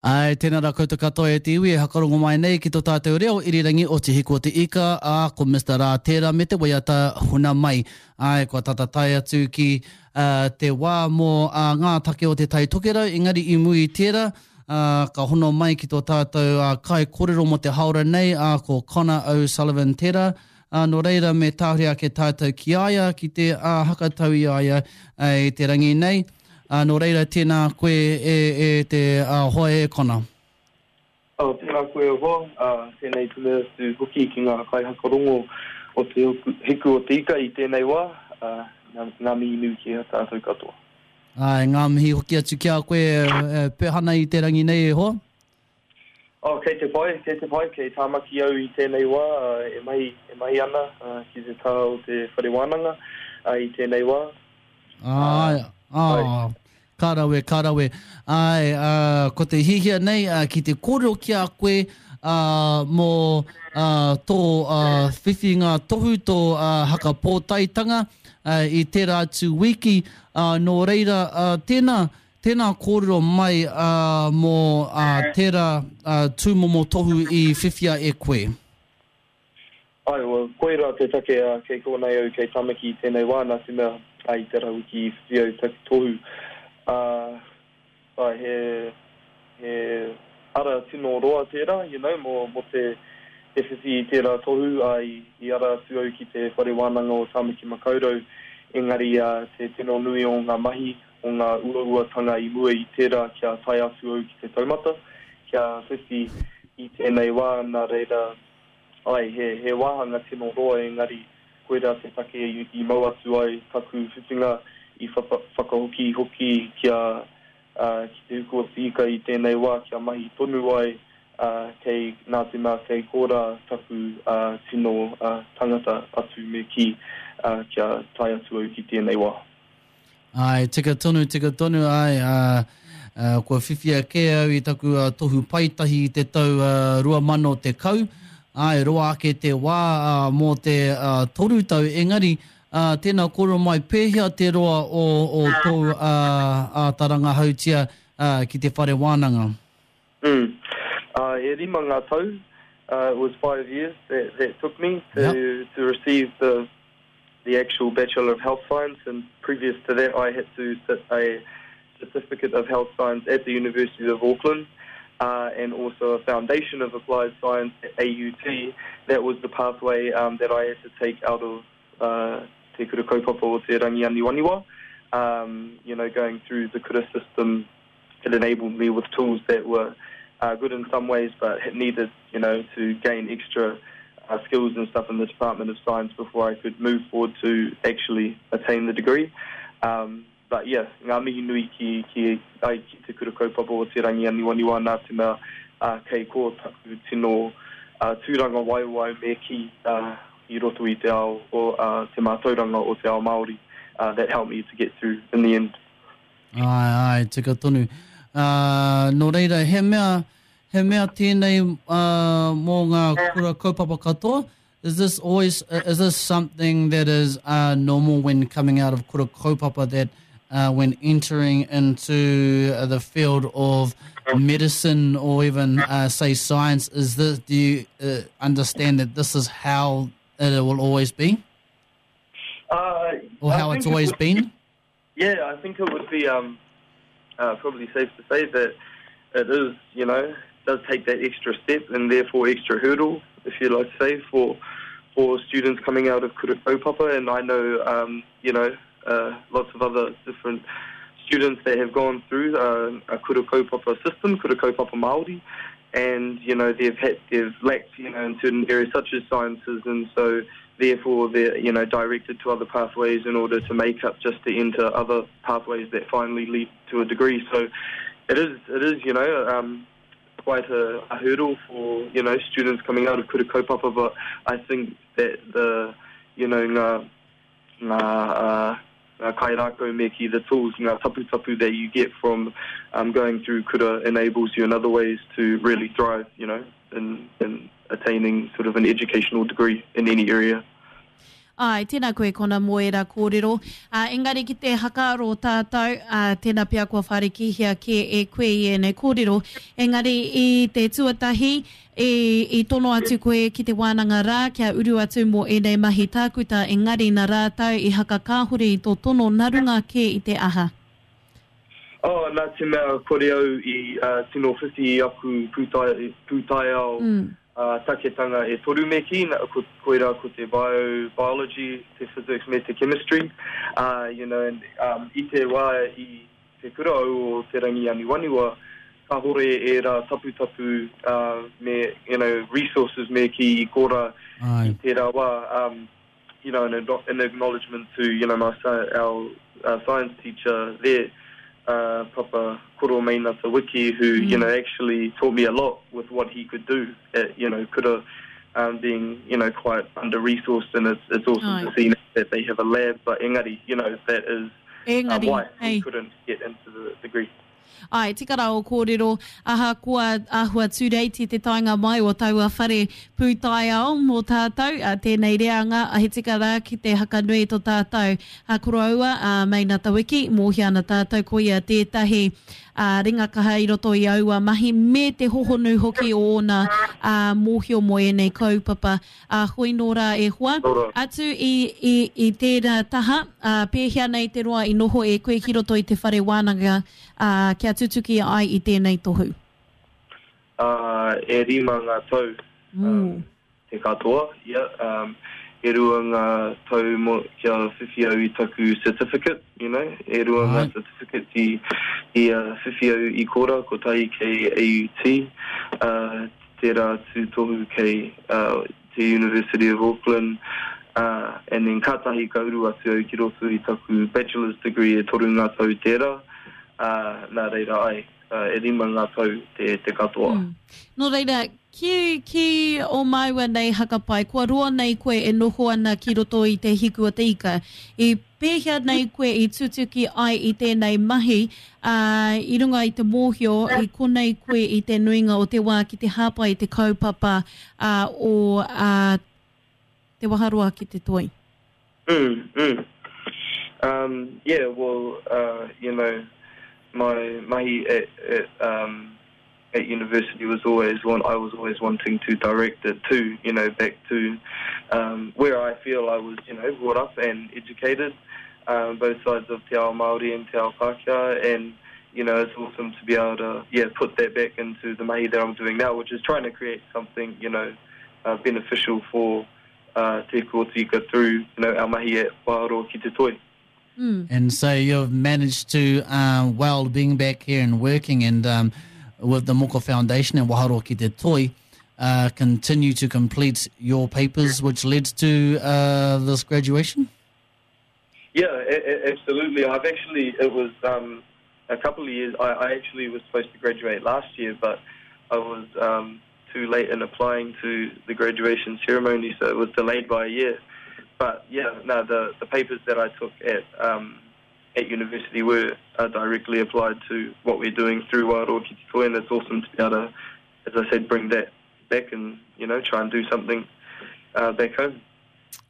Āe, tēnā rā koutou katoa e te iwi e hakarongo mai nei ki tō tātou reo irirangi o Te Hiku o te Ika, ā, ko Mister Rā tērā me te waiata Huna Mai. Āe, kua tata tae atu ki te wā mō ngā take o Te Tai Tokerau, engari i muri i tērā, ā, ka hono mai ki tō tātou kaikōrero mō te hāora nei, ā, ko Connor O'Sullivan tērā, ā, nō reira me tahuri ake tātou ki a ia, ki te hakatau i a ia i te rangi nei. Ā, nō reira, tēnā koe e, e te hoa e Connor. Oh, tēnā koe e hoa, ā, tēnei te mea atu hoki ki ngā kaihakarongo o Te Hiku o te Ika i tēnei wā, ā, ngā, ngā mihi nui ki a tātou katoa. Āe, ngā mihi hoki atu ki a koe e Pehana i te rangi nei e hoa. Oh, kei te pai, kei te pai, kei Tāmaki au i tēnei wā, e mahi, e mahi ana ki te taha o te whare wānanga i tēnei wā. Āe, ā, ka rawe, ka rawe. Āe, ā, ko te hiahia nei ki te kōrero ki a koe, ā, mō, ā, tō, ā, whiwhinga tohu, tō, ā, haka pōtaetanga, ā, i tērā atu wiki, ā, nō reira, ā, tēnā, Tēnā kōrero mai mō tērā tūmomo tohu i whiwhia e koe. Āe, well, koirā te take kei konei au kei Tamaki i tēnei wā, nā te mea i tērā wiki i whiwhi au taku tohu. Āe, he, he ara tino roa tērā, you know, mō, mō te, te whiwhi i tērā tohu, ā, i, i ara atu au ki te Whare Wānanga o Tāmaki Makaurau, engari te tino nui o ngā mahi, o ngā uauatanga i mua i tērā kia tae atu au ki te taumata, kia whiwhi i tēnei wā, nā reira, āe, he, he wāhanga tino roa engari koirā te take i mau atu ai taku whiwhinga i whakahoki hoki kia, ki te huku o te ika i tēnei wā kia mahi tonu ai, kei, nā te mea kei korā taku tino tangata atu me kī, kia tae atu au ki tēnei wā. Āe, tika tonu, tika tonu, āe, ā, ā, kua whiwhia kē au i taku ā, tohu paetahi i te tau ā, 2010, āe, roa ake te wā ā, mō te ā, toru tau, engari, ā, tēnā kōrero mai, pēhea te roa o, o tōu ā, āta rangahautia ā, ki te whare wānanga? Mm. Ā, e rima ngā tau, uh, it was five years that, that took me to, yep. to receive the the actual Bachelor of Health Science, and previous to that I had to sit a Certificate of Health Science at the University of Auckland. Uh, and also a Foundation of Applied Science at AUT. That was the pathway um, that I had to take out of uh, Te Kura Kaupapa o Te Rangi Aniwaniwa. Um, you know, going through the kura system, it enabled me with tools that were uh, good in some ways, but needed, you know, to gain extra uh, skills and stuff in the Department of Science before I could move forward to actually attain the degree. Um, but yeah, ngā mihi nui ki, ki, ai, ki te kura kaupapa o Te Rangi Aniwaniwa nā te mea uh, kei kō taku tino uh, tūrangawaewae me kī uh, i roto i te ao o uh, te mātauranga o te ao Māori uh, that helped me to get through in the end. Āe, āe, tika tonu. Uh, nō reira, he mea, he mea tēnei uh, mō ngā kura kaupapa katoa? Is this always, is this something that is uh, normal when coming out of kura kaupapa that uh, when entering into the field of medicine or even uh, say science, is this, do you uh, understand that this is how it will always be? Uh, or how it's always it been? Yeah, I think it would be um, uh, probably safe to say that it is, you know, does take that extra step and therefore extra hurdle, if you like to say, for for students coming out of Kura Kaupapa. And I know, um, you know, uh, lots of other different students that have gone through uh, a Kura Kaupapa system, Kura Kaupapa Māori, and, you know, they've had, they've lacked, you know, in certain areas such as sciences, and so therefore they're, you know, directed to other pathways in order to make up just to enter other pathways that finally lead to a degree. So it is, it is, you know, um, quite a, a hurdle for, you know, students coming out of Kura Kaupapa, but I think that the, you know, ngā, ngā, uh, ngā kairākau me ki the tools, ngā taputapu that you get from um, going through kura enables you in other ways to really thrive, you know, in, in attaining sort of an educational degree in any area. Āe, tēnā koe Kona mō ērā kōrero. Ā, engari ki te hakaaro tātou, ā, tēnā pea kua whārikihia kē e koe i ēnei kōrero, engari i te tuatahi, i, i tono atu koe ki te wānanga rā kia uru atu mō ēnei mahi tākuta, engari nā rātou i hakakāhore i tō tono nā runga kē i te aha? Oh, nā te mea kore au i tino whiwhi i aku pūtaiao taketanga e toru me kī, koirā ko te bio, biology, te physics me te chemistry. You know, and i te wā i te kura au o Te Rangi Aniwaniwa, kāhore ērā taputapu me, you know, resources me kī i kora i tērā wā. You know, in, in acknowledgement to, you know, my, our uh, science teacher there, uh, Papa Koro Meinata Wiki, who, mm. you know, actually taught me a lot with what he could do at, you know, kura um, being, you know, quite under-resourced and it's, it's awesome to see that they have a lab, but engari, you know, that is uh, why hey. we couldn't get into the degree. Āe, tika rā ō kōrero, ahakoa āhua tūreiti te taenga mai o taua whare pūtaiao mō tātou, ā, tēnei reanga, he tika rā ki te hakanui to tātou koroua, a Meinata Wiki, mōhio ana tātou ko ia tētahi ringa kaha i roto i aua mahi me te hohonu hoki o ōna mōhio mō ēnei kaupapa. Ā, hoi nō rā e hoa. Atu i, i, i tērā taha, ā, pēhea nei te roa i noho e koe ki roto i te whare wānanga, ā, kia tutuki ai i tēnei tohu? Ā, e rima ngā tau, ā, te katoa, ia, ā, e rua ngā tau mo, kia whiwhi au i taku certificate, you know, e rua ngā certificates i, i, ā, whiwhi au i kora, kotahi kei AUT, ā, tērā tūtohu kei te University of Auckland, and then kātahi ka uru atu au ki roto i taku bachelor's degree e toru ngā tau tērā, nā reira ai, e rima ngā tau te, te katoa. Mm. Nō reira, ki, ki o māua nei hakapai, kua roa nei koe e noho ana ki roto i te hiku o te ika. I Pēhea nei koe i tutuki ai i tēnei mahi, ā, i runga i te mōhio i konei koe i te nuinga o te wā ki te hāpai i te kaupapa ā, o ā, Te Waharoa ki te Toi? Mm, mm. Um, yeah, well, uh, you know, my mahi at, at, um, at university was always one I was always wanting to direct it to, you know, back to um, where I feel I was, you know, brought up and educated, um, both sides of Te Ao Māori and Te Ao Pākehā, and you know, it's awesome to be able to, yeah, put that back into the mahi that I'm doing now, which is trying to create something, you know, uh, beneficial for uh, Te Kōtika through, you know, our mahi at Waharoa ki te Toi. Mm. And so you've managed to, um, while being back here and working and um, with the Moko Foundation and Waharoa ki te Toi, uh, continue to complete your papers, which led to uh, this graduation? Yeah, absolutely. I've actually, it was um, a couple of years, I, I actually was supposed to graduate last year, but I was um, too late in applying to the graduation ceremony, so it was delayed by a year. But yeah, no, the, the papers that I took at um, at university were uh, directly applied to what we're doing through Waharoa Ki Te Toi, and it's awesome to be able to, as I said, bring that back and, you know, try and do something uh, back home.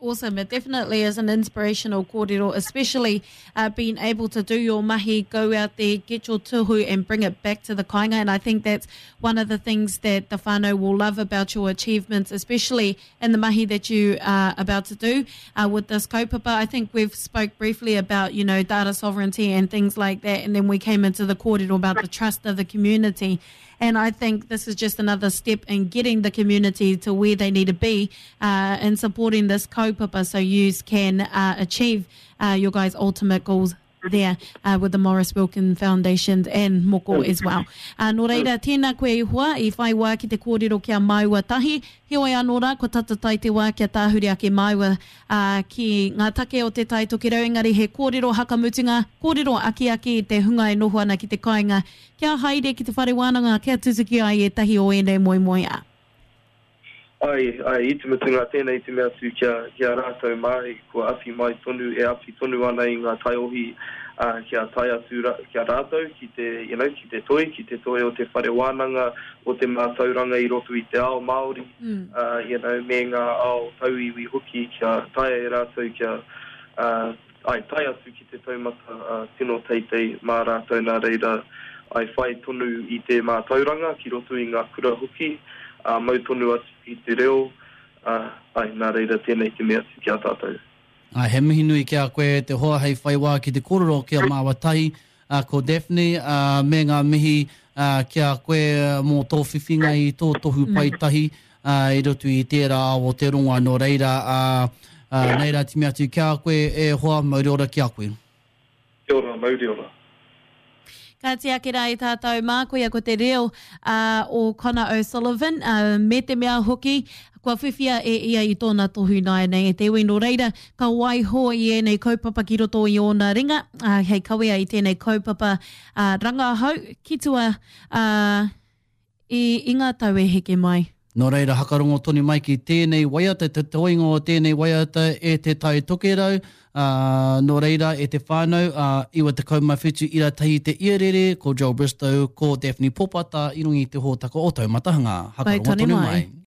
Awesome. It definitely is an inspirational kōrero, especially uh, being able to do your mahi, go out there, get your tuhu and bring it back to the kāinga. And I think that's one of the things that the whānau will love about your achievements, especially in the mahi that you are about to do uh, with this kaupapa. I think we've spoke briefly about, you know, data sovereignty and things like that. And then we came into the kōrero about the trust of the community. And I think this is just another step in getting the community to where they need to be uh, in supporting this kaupapa so you can uh, achieve uh, your guys' ultimate goals there uh, with the Maurice Wilkin Foundation and Moko as well. Uh, nō reira, tēnā koe i hoa, i whai wā ki te kōrero ki a māua tahi. Heoi anō rā, kua tata tai te wā kia tāhuri ake māua uh, ki ngā take o te Tai Tokerau, engari he kōrero hakamutunga, kōrero akiaki i te hunga e noho ana ki te kāinga Kia haere ki te whare wānanga kia tutuki ai ētahi o ēnei moemoeā. Ai, ai, i te mutunga tēnei te mea atu kia, ki a rātou mā, kua awhi mai tonu, e awhi tonu ana i ngā taiohi, ā, kia tae atu ra, ki a rātou ki te, you know, ki te toi, ki te toi o te whare wānanga, o te mātauranga i roto i te ao Māori, ā, you know, me ngā ao tauiwi hoki kia taea e rātou kia, ā, ai, tae atu ki te taumata, ā, tino teitei mā rātou nā reira, ai, whai tonu i te mātauranga ki roto i ngā kura hoki, ā, mau tonu atu ki te reo, ā, ai, nā reira tēnei te mea atu ki a tātou. Ā, he mihi nui ki a koe e te hoa hei whai wā ki te kōrero ki a māua tahi, ā, ko Daphne, ā, me ngā mihi, ā, ki a koe mō tō whiwhinga i tō tohu paetahi, ā, i roto i tērā ao o te rongoa. Nō reira, ā, ā, nei rā timi atu ki a koe e hoa, mauri ora ki a koe. Kia ora, mauri ora. Ka tiaki rā i tātou mā, koia ko te reo uh, o Connor O'Sullivan, uh, me te mea hoki, kua whiwhia e ia i tōna tohu nāianei e te iwi. Nō reira, ka waiho i ēnei kaupapa ki roto i ōna ringa, uh, hei kawea i tēnei kaupapa uh, rangahau ki tua uh, I, i ngā tau e heke mai. Nō reira, hakarongo tonu mai ki tēnei waiata, te toenga o tēnei waiata e Te Tai Tokerau, ā, nō reira, e te whānau, ā, 97 ira tahi te iarere, ko Joel Bristow, ko Daphne Popata i runga i te hōtaka o Taumatahanga. Hakarongo tonu mai.